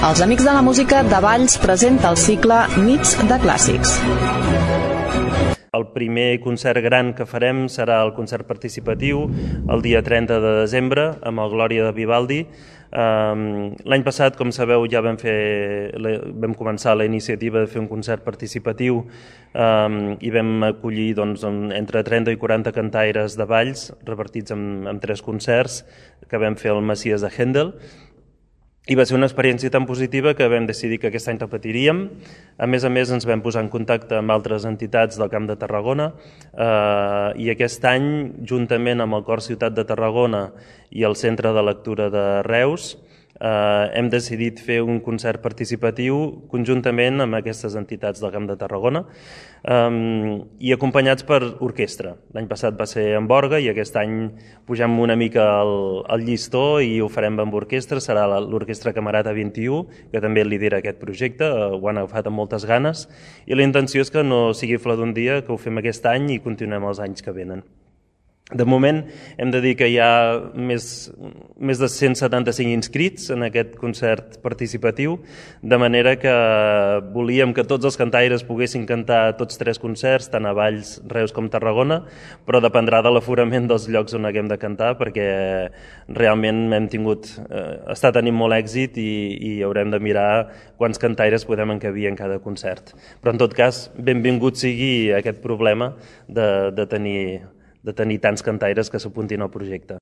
Els Amics de la Música de Valls presenta el cicle Nits de Clàssics. El primer concert gran que farem serà el concert participatiu el dia 30 de desembre amb el Glòria de Vivaldi. L'any passat, com sabeu, ja vam començar la iniciativa de fer un concert participatiu i vam acollir entre 30 i 40 cantaires de Valls repartits en 3 concerts que vam fer al Messies de Händel. I va ser una experiència tan positiva que vam decidir que aquest any repetiríem. A més, ens vam posar en contacte amb altres entitats del Camp de Tarragona i aquest any, juntament amb el Cor Ciutat de Tarragona i el Centre de Lectura de Reus, hem decidit fer un concert participatiu conjuntament amb aquestes entitats del Camp de Tarragona i acompanyats per orquestra. L'any passat va ser amb orgue i aquest any pugem una mica el llistó i ho farem amb orquestra. Serà l'Orquestra Camerata 21, que també lidera aquest projecte, ho han agafat amb moltes ganes i la intenció és que no sigui flor d'un dia, que ho fem aquest any i continuem els anys que venen. De moment hem de dir que hi ha més de 175 inscrits en aquest concert participatiu, de manera que volíem que tots els cantaires poguessin cantar tots 3 concerts, tant a Valls, Reus com Tarragona, però dependrà de l'aforament dels llocs on haguem de cantar, perquè realment està tenint molt èxit i haurem de mirar quants cantaires podem encabir en cada concert. Però en tot cas, benvingut sigui aquest problema de tenir tants cantaires que s'apuntin al projecte.